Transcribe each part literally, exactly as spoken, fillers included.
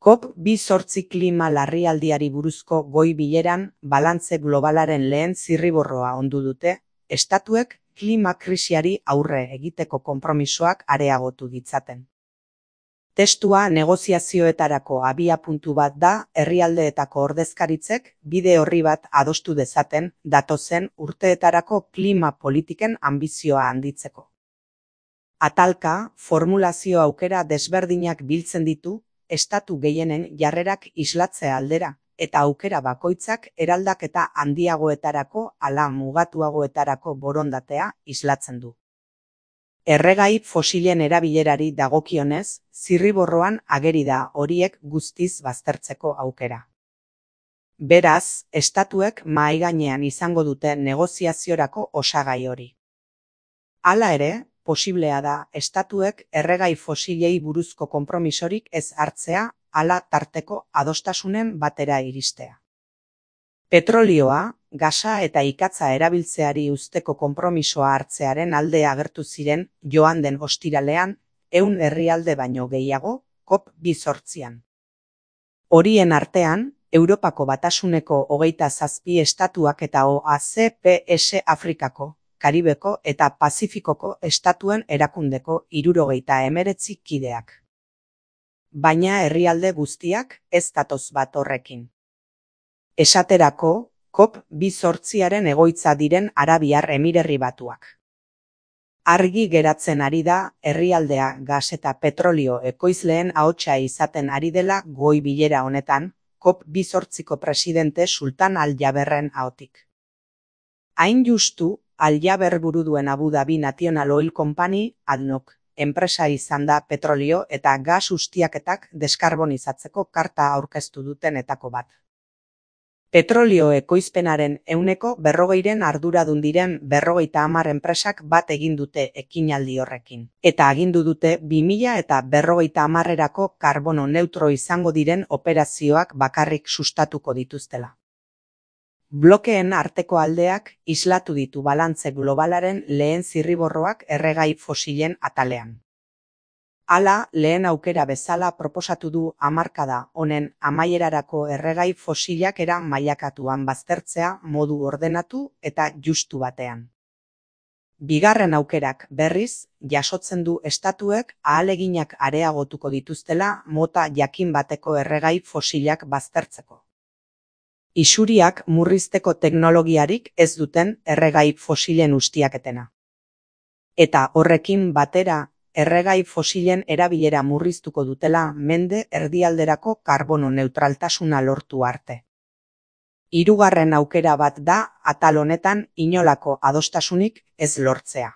COP bi zortzi klima larrialdiari buruzko goi bileran balantze globalaren lehen zirriborroa ondu dute, estatuek klima krisiari aurre egiteko konpromisoak areagotu ditzaten. Testua negoziazioetarako abiapuntu bat da herrialdeetako ordezkaritzek bide orri bat adostu dezaten datozen urteetarako klima politiken anbizioa handitzeko. Atalka, formulazio aukera desberdinak biltzen ditu, estatu gehienen jarrerak islatzea aldera, eta aukera bakoitzak eraldaketa handiagoetarako ala mugatuagoetarako borondatea islatzen du. Erregai fosilen erabilerari dagokionez, zirriborroan ageri da horiek guztiz baztertzeko aukera. Beraz, estatuek mahai gainean izango dute negoziaziorako osagai hori. Hala ere, posiblea da estatuek erregai fosilei buruzko konpromisorik ez hartzea ala tarteko adostasunen batera iristea. Petrolioa, gasa eta ikatza erabiltzeari uzteko konpromisoa hartzearen alde agertu ziren joan den ostiralean, ehun herrialde baino gehiago, COP bi zortzian. Horien artean, Europako Batasuneko hogeita zazpi estatuak eta O A C P S Afrikako, Karibeko eta Pazifikoko estatuen erakundeko hirurogeita hemeretzi kideak. Baina herrialde guztiak ez datoz bat horrekin. Esaterako, COP bi zortziaren egoitza diren Arabiar Emirerri Batuak. Argi geratzen ari da herrialdea gas eta petrolio ekoizleen ahotsa izaten ari dela goi bilera honetan, COP bi zortziko presidente Sultan Al-Jaberren ahotik. Hain justu, Al-Jaber buru duen Abu Dhabi National Oil Company, A D N O C, enpresa izan da petrolio eta gas ustiaketak deskarbonizatzeko karta aurkeztu dutenetako bat. Petrolio ekoizpenaren ehuneko berrogeiren arduradun diren berrogeita hamar enpresak bat egin dute ekinaldi horrekin. Eta agindu dute bi mila eta berrogeita hamarrerako karbono neutro izango diren operazioak bakarrik sustatuko dituztela. Blokeen arteko aldeak islatu ditu balantze globalaren lehen zirriborroak erregai fosilen atalean. Hala, lehen aukera bezala proposatu du hamarkada honen amaierarako erregai fosilak era mailakatuan baztertzea modu ordenatu eta justu batean. Bigarren aukerak berriz, jasotzen du estatuek ahaleginak areagotuko dituztela mota jakin bateko erregai fosilak baztertzeko. Isuriak murrizteko teknologiarik ez duten erregai fosilen ustiaketena. Eta horrekin batera, erregai fosilen erabilera murriztuko dutela mende erdialderako karbono neutraltasuna lortu arte. Hirugarren aukera bat da atal honetan inolako adostasunik ez lortzea.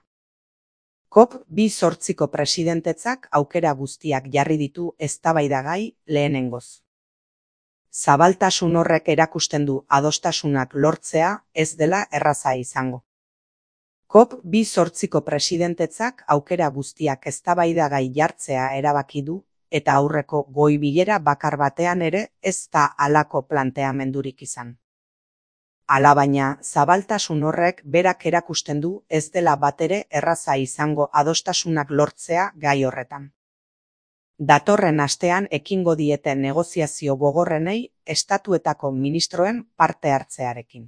COP bi zortziko presidentetzak aukera guztiak jarri ditu eztabaidagai lehenengoz. Zabaltasun horrek erakusten du adostasunak lortzea ez dela erraza izango. COP bi zortziko presidentetzak aukera guztiak eztabaidagai jartzea erabaki du, eta aurreko goi bilera bakar batean ere ez da halako planteamendurik izan. Alabaina, zabaltasun horrek berak erakusten du ez dela batere erraza izango adostasunak lortzea gai horretan. Datorren astean ekingo dieten negoziazio gogorrenei estatuetako ministroen parte hartzearekin.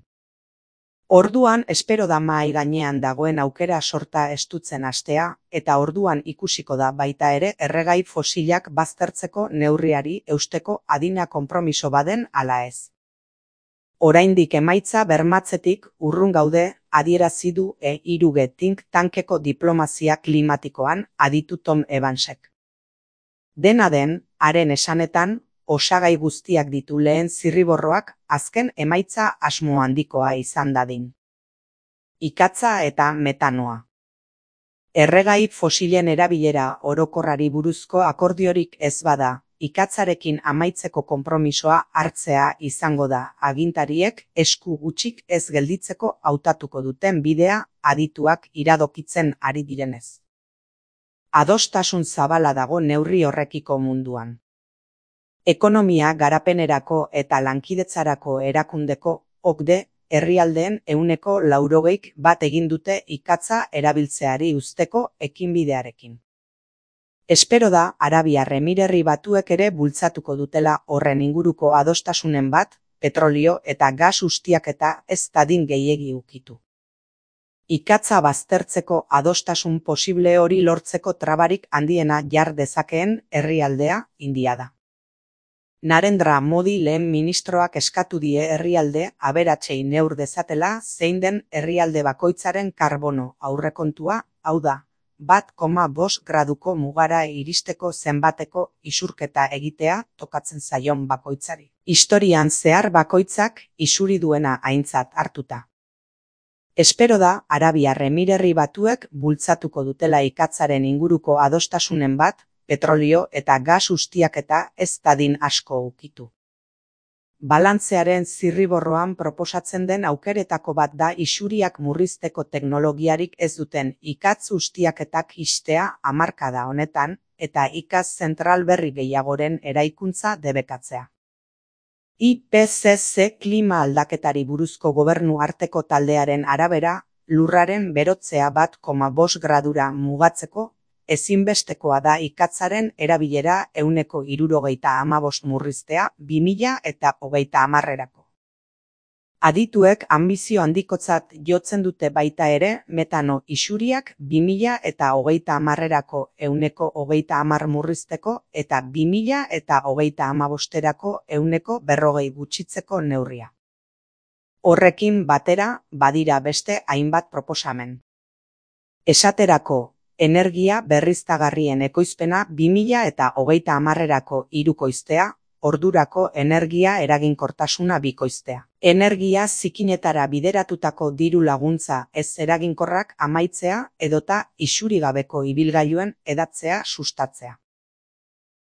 Orduan espero da mahai gainean dagoen aukera sorta estutzen hastea, eta orduan ikusiko da baita ere erregai fosilak baztertzeko neurriari eusteko adina konpromiso baden ala ez. Oraindik emaitza bermatzetik urrun gaude, adierazi du E hiru G think tankeko diplomazia klimatikoan aditu Tom Evansek. Dena den, haren esanetan, osagai guztiak ditu lehen zirriborroak azken emaitza asmo handikoa izan dadin. Ikatza eta metanoa. Erregai fosilen erabilera orokorrari buruzko akordiorik ez bada, ikatzarekin amaitzeko konpromisoa hartzea izango da agintariek esku gutxik ez gelditzeko hautatuko duten bidea adituak iradokitzen ari direnez. Adostasun zabala dago neurri horrekiko munduan. Ekonomia garapenerako eta lankidetzarako erakundeko O C D E herrialdeen ehuneko laurogeik bat egin dute ikatza erabiltzeari uzteko ekinbidearekin. Espero da Arabiar Emirerri Batuek ere bultzatuko dutela horren inguruko adostasunen bat, petrolio eta gas ustiaketa ez dadin gehiegi ukitu. Ikatza baztertzeko adostasun posible hori lortzeko trabarik handiena jar dezakeen herrialdea India da. Narendra Modi lehen ministroak eskatu die herrialde aberatsei neur dezatela zein den herrialde bakoitzaren karbono aurrekontua, hau da, bat koma bost graduko mugara iristeko zenbateko isurketa egitea tokatzen zaion bakoitzari. Historian zehar bakoitzak isuri duena aintzat hartuta. Espero da Arabiar Emirerri Batuek bultzatuko dutela ikatzaren inguruko adostasunen bat, petrolio eta gas ustiaketa ez dadin asko ukitu. Balantzearen zirriborroan proposatzen den aukeretako bat da isuriak murrizteko teknologiarik ez duten ikatz ustiaketak ixtea hamarkada honetan eta ikaz zentral berri gehiagoren eraikuntza debekatzea. I P C C klima aldaketari buruzko gobernu arteko taldearen arabera, lurraren berotzea bat koma bost gradura mugatzeko, ezinbestekoa da ikatzaren erabilera ehuneko hirurogeita hamabost murriztea bi mila eta hogeita hamarrerako. Adituek anbizio handikotzat jotzen dute baita ere metano isuriak bi mila eta hogeita hamarrerako ehuneko hogeita hamar murrizteko eta bi mila eta hogeita hamabosterako ehuneko berrogei gutxitzeko neurria. Horrekin batera badira beste hainbat proposamen. Esaterako, energia berriztagarrien ekoizpena bi mila eta hogeita hamarrerako hirukoiztea, ordurako energia eraginkortasuna bikoiztea. Energia zikinetara bideratutako diru laguntza ez eraginkorrak amaitzea edota isurigabeko ibilgailuen edatzea sustatzea.